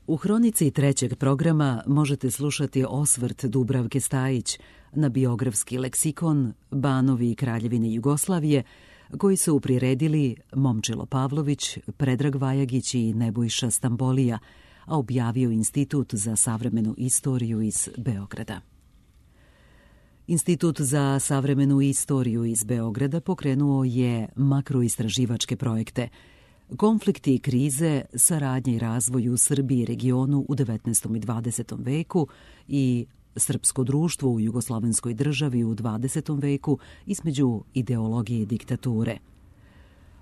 U hronici trećeg programa možete slušati osvrt Dubravke Stajić na biografski leksikon Banovi i Kraljevine Jugoslavije, koji su priredili Momčilo Pavlović, Predrag Vajagić i Nebojša Stambolija, a objavio Institut za savremenu istoriju iz Beograda. Institut za savremenu istoriju iz Beograda pokrenuo je makroistraživačke projekte Konflikti i krize, saradnja i razvoj u Srbiji i regionu u 19. i 20. veku i Srpsko društvo u jugoslovenskoj državi u 20. veku između ideologije i diktature.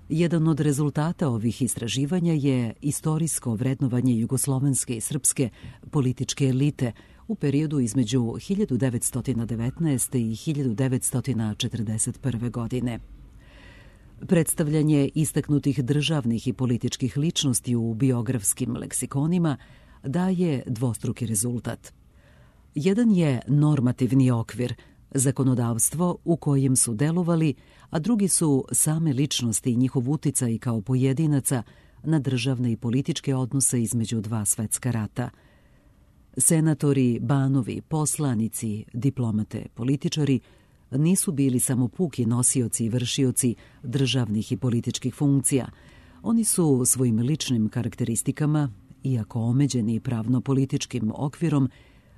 Jedan od rezultata ovih istraživanja je istorijsko vrednovanje jugoslovenske i srpske političke elite u periodu između 1919. i 1941. godine. Predstavljanje istaknutih državnih i političkih ličnosti u biografskim leksikonima daje dvostruki rezultat. Jedan je normativni okvir, zakonodavstvo u kojem su delovali, a drugi su same ličnosti i njihov uticaj kao pojedinaca na državne i političke odnose između dva svetska rata. Senatori, banovi, poslanici, diplomate, političari nisu bili samo puki nosioci i vršioci državnih i političkih funkcija. Oni su svojim ličnim karakteristikama, iako omeđeni pravno-političkim okvirom,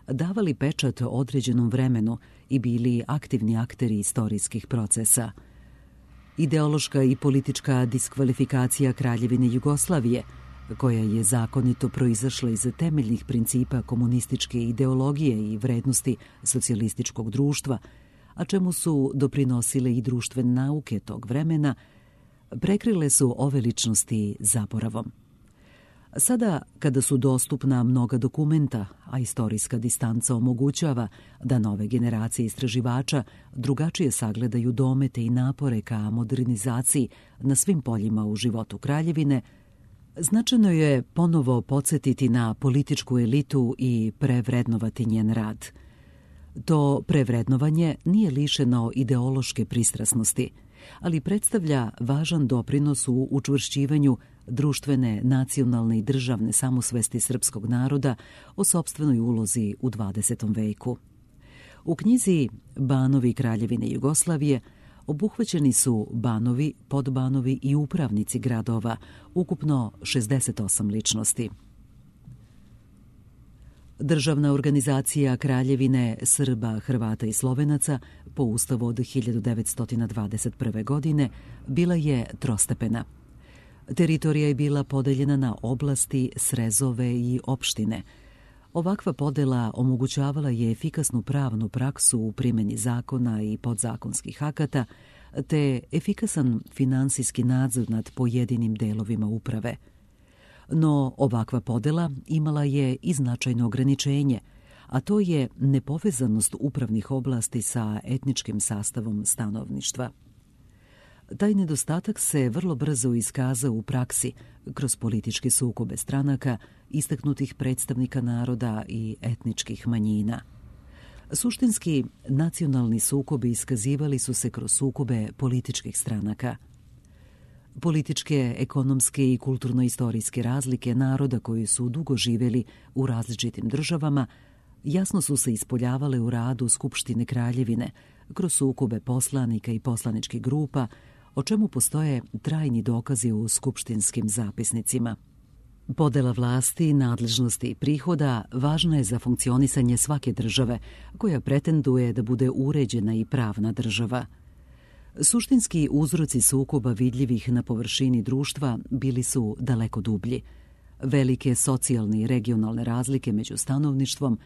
davali pečat određenom vremenu i bili aktivni akteri istorijskih procesa. Ideološka i politička diskvalifikacija Kraljevine Jugoslavije, koja je zakonito proizašla iz temeljnih principa komunističke ideologije i vrednosti socijalističkog društva, a čemu su doprinosile i društvene nauke tog vremena, prekrile su ove ličnosti zaboravom. Sada, kada su dostupna mnoga dokumenta, a istorijska distanca omogućava da nove generacije istraživača drugačije sagledaju domete i napore ka modernizaciji na svim poljima u životu Kraljevine, značajno je ponovo podsjetiti na političku elitu i prevrednovati njen rad. To prevrednovanje nije lišeno ideološke pristrasnosti, ali predstavlja važan doprinos u učvršćivanju društvene, nacionalne i državne samosvesti srpskog naroda o sopstvenoj ulozi u 20. veku. U knjizi Banovi i Kraljevine Jugoslavije obuhvaćeni su banovi, podbanovi i upravnici gradova, ukupno 68 ličnosti. Državna organizacija Kraljevine Srba, Hrvata i Slovenaca po ustavu od 1921. godine bila je trostepena. Teritorija je bila podeljena na oblasti, srezove i opštine. Ovakva podela omogućavala je efikasnu pravnu praksu u primjeni zakona i podzakonskih akata, te efikasan finansijski nadzor nad pojedinim delovima uprave. No ovakva podela imala je i značajno ograničenje, a to je nepovezanost upravnih oblasti sa etničkim sastavom stanovništva. Taj nedostatak se vrlo brzo iskazao u praksi kroz političke sukobe stranaka, istaknutih predstavnika naroda i etničkih manjina. Suštinski, nacionalni sukobi iskazivali su se kroz sukobe političkih stranaka. Političke, ekonomske i kulturno-istorijske razlike naroda koji su dugo živjeli u različitim državama jasno su se ispoljavale u radu Skupštine Kraljevine kroz sukobe poslanika i poslaničkih grupa, o čemu postoje trajni dokazi u skupštinskim zapisnicima. Podela vlasti, nadležnosti i prihoda važna je za funkcionisanje svake države, koja pretenduje da bude uređena i pravna država. Suštinski uzroci sukoba vidljivih na površini društva bili su daleko dublji. Velike socijalne i regionalne razlike među stanovništvom,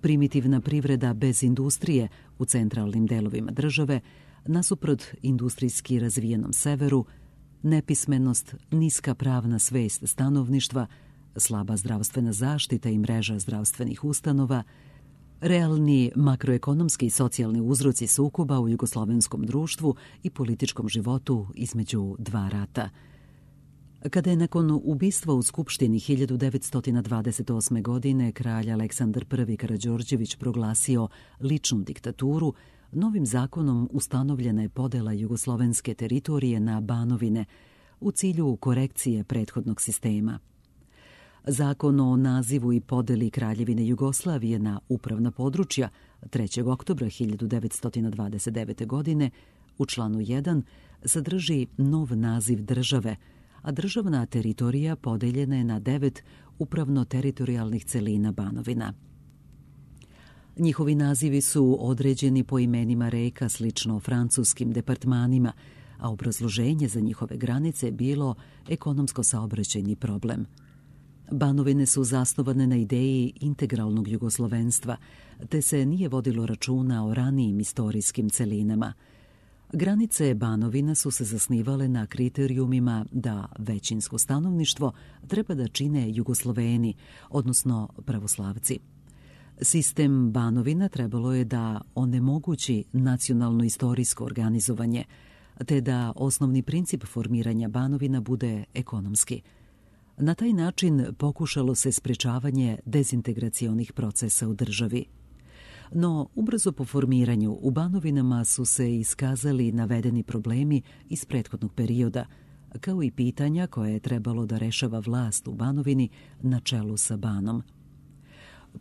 primitivna privreda bez industrije u centralnim delovima države, nasuprot industrijski razvijenom severu, nepismenost, niska pravna svest stanovništva, slaba zdravstvena zaštita i mreža zdravstvenih ustanova, realni makroekonomski i socijalni uzroci sukoba u jugoslovenskom društvu i političkom životu između dva rata. Kada je nakon ubistva u Skupštini 1928. godine kralj Aleksandar I. Karađorđević proglasio ličnu diktaturu, novim zakonom ustanovljena je podela jugoslovenske teritorije na banovine u cilju korekcije prethodnog sistema. Zakon o nazivu i podeli Kraljevine Jugoslavije na upravna područja 3. oktobra 1929. godine u članu 1 sadrži nov naziv države, a državna teritorija podeljena je na 9 upravno-teritorijalnih celina Banovina. Njihovi nazivi su određeni po imenima reka slično francuskim departmanima, a obrazloženje za njihove granice je bilo ekonomsko-saobraćajni problem. Banovine su zasnovane na ideji integralnog jugoslovenstva, te se nije vodilo računa o ranijim istorijskim celinama. Granice Banovina su se zasnivale na kriterijumima da većinsko stanovništvo treba da čine Jugosloveni, odnosno pravoslavci. Sistem Banovina trebalo je da onemogući nacionalno-istorijsko organizovanje, te da osnovni princip formiranja Banovina bude ekonomski. Na taj način pokušalo se sprečavanje dezintegracionih procesa u državi. No, ubrzo po formiranju u Banovinama su se iskazali navedeni problemi iz prethodnog perioda, kao i pitanja koje je trebalo da rešava vlast u Banovini na čelu sa Banom.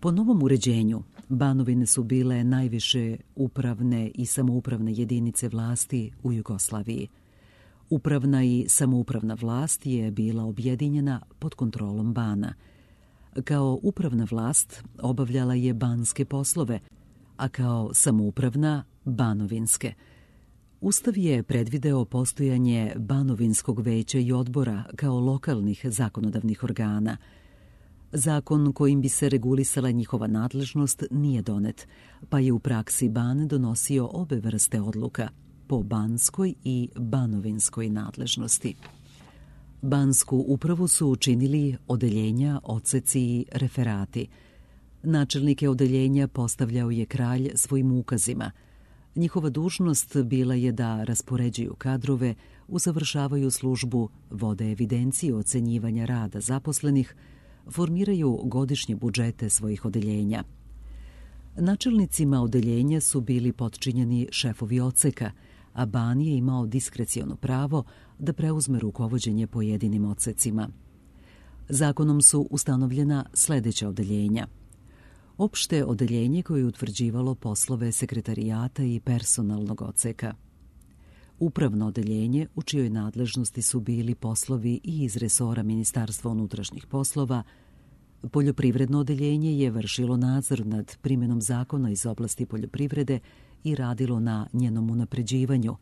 Po novom uređenju, Banovine su bile najviše upravne i samoupravne jedinice vlasti u Jugoslaviji. Upravna i samoupravna vlast je bila objedinjena pod kontrolom Bana. Kao upravna vlast obavljala je banske poslove, a kao samoupravna banovinske. Ustav je predvideo postojanje Banovinskog veća i odbora kao lokalnih zakonodavnih organa. Zakon kojim bi se regulisala njihova nadležnost nije donet, pa je u praksi Ban donosio obe vrste odluka, po banskoj i banovinskoj nadležnosti. Bansku upravu su učinili odeljenja, odseci i referati. Načelnike odeljenja postavljao je kralj svojim ukazima. Njihova dužnost bila je da raspoređuju kadrove, usavršavaju službu, vode evidencije ocenjivanja rada zaposlenih, formiraju godišnje budžete svojih odeljenja. Načelnicima odeljenja su bili potčinjeni šefovi odseka, a Ban je imao diskreciono pravo da preuzme rukovođenje pojedinim odsecima. Zakonom su ustanovljena sledeća odeljenja. Opšte odeljenje koje je utvrđivalo poslove sekretarijata i personalnog odseka. Upravno odeljenje u čijoj nadležnosti su bili poslovi i iz resora Ministarstva unutrašnjih poslova. Poljoprivredno odeljenje je vršilo nadzor nad primjenom zakona iz oblasti poljoprivrede i radilo na njenom unapređivanju.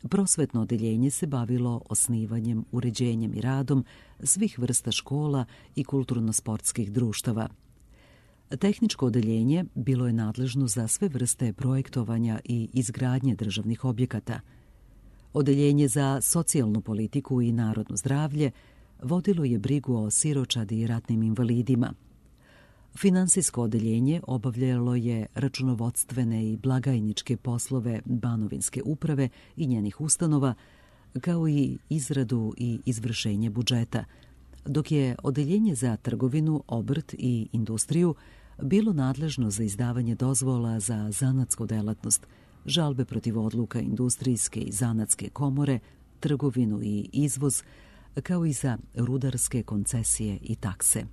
Prosvetno odeljenje se bavilo osnivanjem, uređenjem i radom svih vrsta škola i kulturno-sportskih društava. Tehničko odeljenje bilo je nadležno za sve vrste projektovanja i izgradnje državnih objekata. Odeljenje za socijalnu politiku i narodno zdravlje vodilo je brigu o siročadi i ratnim invalidima. Finansijsko odeljenje obavljalo je računovodstvene i blagajničke poslove Banovinske uprave i njenih ustanova, kao i izradu i izvršenje budžeta, dok je odeljenje za trgovinu, obrt i industriju bilo nadležno za izdavanje dozvola za zanatsku delatnost, žalbe protiv odluka industrijske i zanatske komore, trgovinu i izvoz, kao i za rudarske koncesije i takse.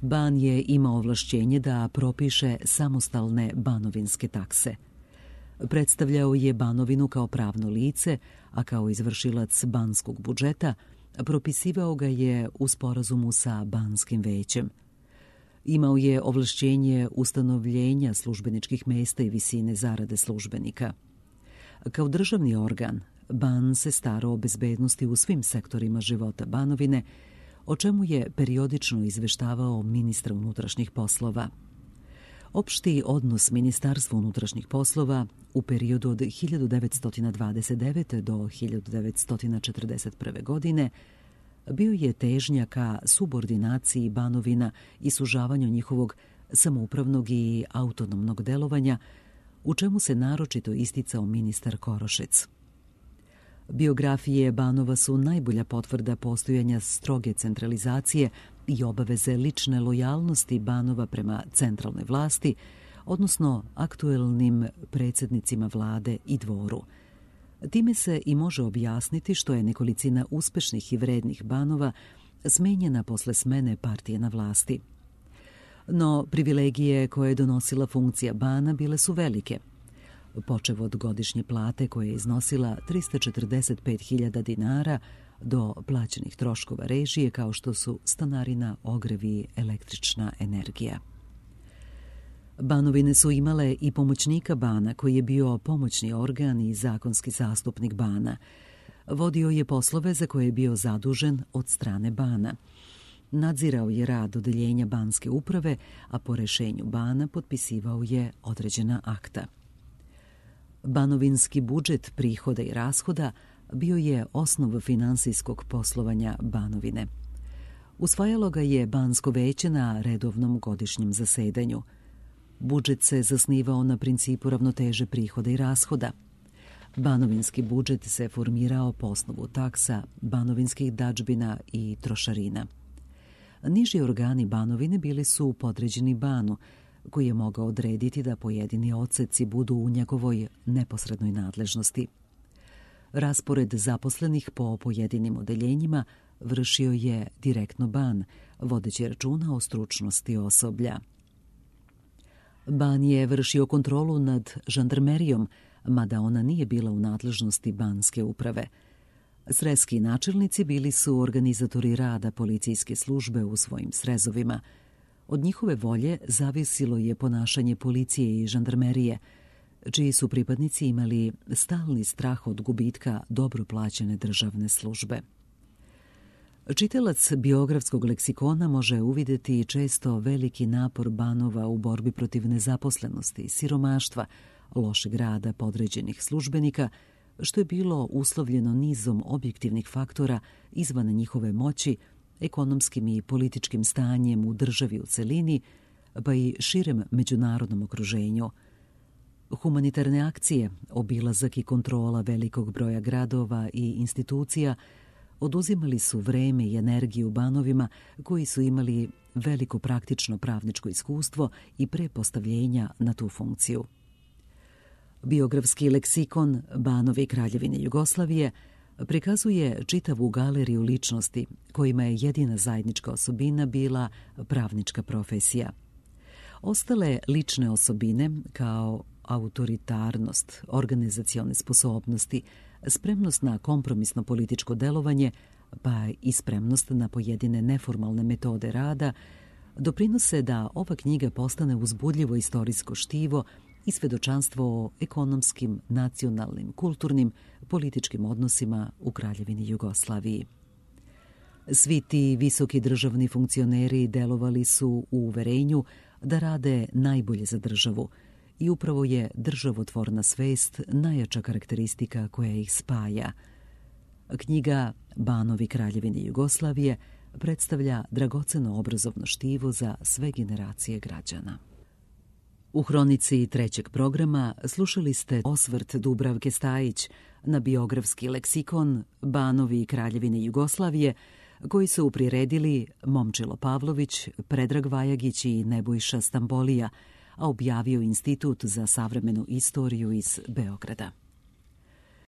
Ban je imao ovlašćenje da propiše samostalne banovinske takse. Predstavljao je Banovinu kao pravno lice, a kao izvršilac banskog budžeta propisivao ga je u sporazumu sa Banskim većem. Imao je ovlašćenje ustanovljenja službeničkih mesta i visine zarade službenika. Kao državni organ, Ban se starao o bezbednosti u svim sektorima života Banovine, o čemu je periodično izveštavao ministra unutrašnjih poslova. Opšti odnos Ministarstva unutrašnjih poslova u periodu od 1929. do 1941. godine bio je težnja ka subordinaciji Banovina i sužavanju njihovog samoupravnog i autonomnog delovanja, u čemu se naročito isticao ministar Korošec. Biografije Banova su najbolja potvrda postojanja stroge centralizacije i obaveze lične lojalnosti Banova prema centralnoj vlasti, odnosno aktuelnim predsjednicima vlade i dvoru. Time se i može objasniti što je nekolicina uspešnih i vrednih Banova smenjena posle smene partije na vlasti. No, privilegije koje je donosila funkcija bana bile su velike. Počev od godišnje plate koja je iznosila 345.000 dinara do plaćenih troškova režije kao što su stanarina, ogrev i električna energija. Banovine su imale i pomoćnika bana koji je bio pomoćni organ i zakonski zastupnik bana. Vodio je poslove za koje je bio zadužen od strane bana. Nadzirao je rad odeljenja banske uprave, a po rešenju bana potpisivao je određena akta. Banovinski budžet prihoda i rashoda bio je osnov finansijskog poslovanja Banovine. Usvajalo ga je Bansko veće na redovnom godišnjem zasedanju. Budžet se zasnivao na principu ravnoteže prihoda i rashoda. Banovinski budžet se formirao po osnovu taksa, banovinskih dadžbina i trošarina. Niži organi Banovine bili su podređeni banu, koji je mogao odrediti da pojedini odseci budu u njegovoj neposrednoj nadležnosti. Raspored zaposlenih po pojedinim odeljenjima vršio je direktno ban, vodeći računa o stručnosti osoblja. Ban je vršio kontrolu nad žandarmerijom, mada ona nije bila u nadležnosti banske uprave. Srezski načelnici bili su organizatori rada policijske službe u svojim srezovima. Od njihove volje zavisilo je ponašanje policije i žandarmerije, čiji su pripadnici imali stalni strah od gubitka dobro plaćene državne službe. Čitalac biografskog leksikona može uvidjeti često veliki napor banova u borbi protiv nezaposlenosti, siromaštva, lošeg rada podređenih službenika, što je bilo uslovljeno nizom objektivnih faktora izvan njihove moći, ekonomskim i političkim stanjem u državi u celini, pa i širem međunarodnom okruženju. Humanitarne akcije, obilazak i kontrola velikog broja gradova i institucija oduzimali su vreme i energiju banovima koji su imali veliko praktično pravničko iskustvo i prepostavljenja na tu funkciju. Biografski leksikon Banovi Kraljevine Jugoslavije prikazuje čitavu galeriju ličnosti kojima je jedina zajednička osobina bila pravnička profesija. Ostale lične osobine kao autoritarnost, organizacione sposobnosti, spremnost na kompromisno političko delovanje, pa i spremnost na pojedine neformalne metode rada, doprinose da ova knjiga postane uzbudljivo istorijsko štivo i svedočanstvo o ekonomskim, nacionalnim, kulturnim, političkim odnosima u Kraljevini Jugoslaviji. Svi ti visoki državni funkcioneri delovali su u uverenju da rade najbolje za državu i upravo je državotvorna svest najjača karakteristika koja ih spaja. Knjiga Banovi Kraljevine Jugoslavije predstavlja dragoceno obrazovno štivo za sve generacije građana. U hronici trećeg programa slušali ste osvrt Dubravke Stajić na biografski leksikon Banovi Kraljevine Jugoslavije, koji su priredili Momčilo Pavlović, Predrag Vajagić i Nebojša Stambolija, a objavio Institut za savremenu istoriju iz Beograda.